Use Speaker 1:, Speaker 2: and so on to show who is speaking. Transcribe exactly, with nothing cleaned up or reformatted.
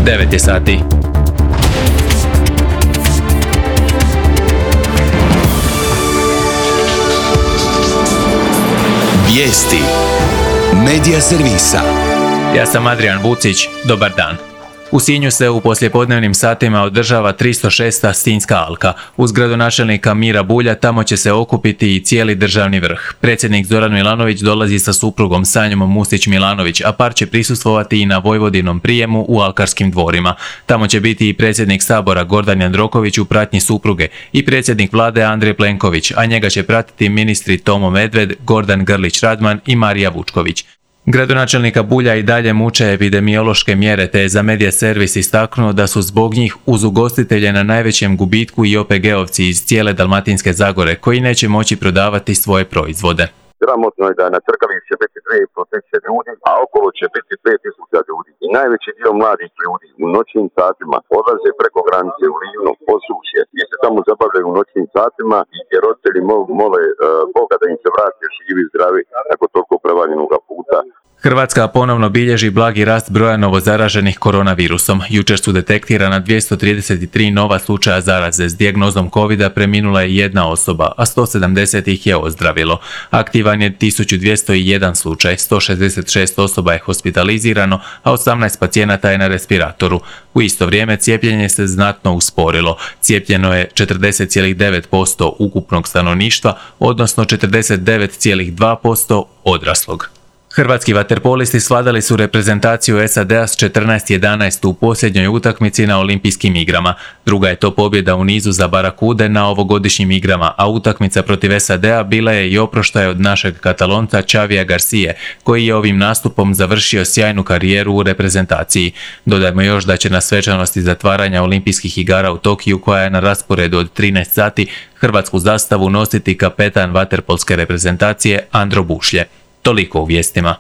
Speaker 1: devet je sati.
Speaker 2: Vijesti Medija servisa.
Speaker 1: Ja sam Adrian Vucić, dobar dan. U Sinju se u poslijepodnevnim satima održava tristo šesta Sinjska alka. Uz gradonačelnika Mira Bulja tamo će se okupiti i cijeli državni vrh. Predsjednik Zoran Milanović dolazi sa suprugom Sanjom Musić-Milanović, a par će prisustvovati i na Vojvodinom prijemu u Alkarskim dvorima. Tamo će biti i predsjednik Sabora Gordan Jandroković u pratnji supruge i predsjednik vlade Andrej Plenković, a njega će pratiti ministri Tomo Medved, Gordan Grlić-Radman i Marija Vučković. Gradonačelnika Bulja i dalje muče epidemiološke mjere, te je za Medija servis istaknuo da su zbog njih uz ugostitelje na najvećem gubitku i O P G-ovci iz cijele Dalmatinske Zagore koji neće moći prodavati svoje proizvode.
Speaker 3: Sramotno je da na crkalici će biti dvije i pol tisuće ljudi, a okolo će biti pet tisuća ljudi. I najveći dio mladih ljudi u noćnim satima odlaze preko granice u Livno, Posušje, gdje se tamo zabavljaju u noćnim satima i gdje roditelji mole uh, Boga da im se vrati živi i zdravi nakon toliko prevaljenog puta.
Speaker 1: Hrvatska ponovno bilježi blagi rast broja novozaraženih koronavirusom. Jučer su detektirana dvjesto trideset tri nova slučaja zaraze. S dijagnozom covida preminula je jedna osoba, a sto sedamdeset ih je ozdravilo. Aktivan je tisuću dvjesto jedan slučaj, sto šezdeset šest osoba je hospitalizirano, a osamnaest pacijenata je na respiratoru. U isto vrijeme cijepljenje se znatno usporilo. Cijepljeno je četrdeset zarez devet posto ukupnog stanovništva, odnosno četrdeset devet zarez dva posto odraslog. Hrvatski vaterpolisti svladali su reprezentaciju S A D-a s četrnaest jedanaest u posljednjoj utakmici na Olimpijskim igrama. Druga je to pobjeda u nizu za Barakude na ovogodišnjim igrama, a utakmica protiv S A D-a bila je i oproštaj od našeg Katalonca Xavija Garcije, koji je ovim nastupom završio sjajnu karijeru u reprezentaciji. Dodajmo još da će na svečanosti zatvaranja Olimpijskih igara u Tokiju, koja je na rasporedu od trinaest sati, hrvatsku zastavu nositi kapetan vaterpolske reprezentacije Andro Bušlje. Toliko u vijestima.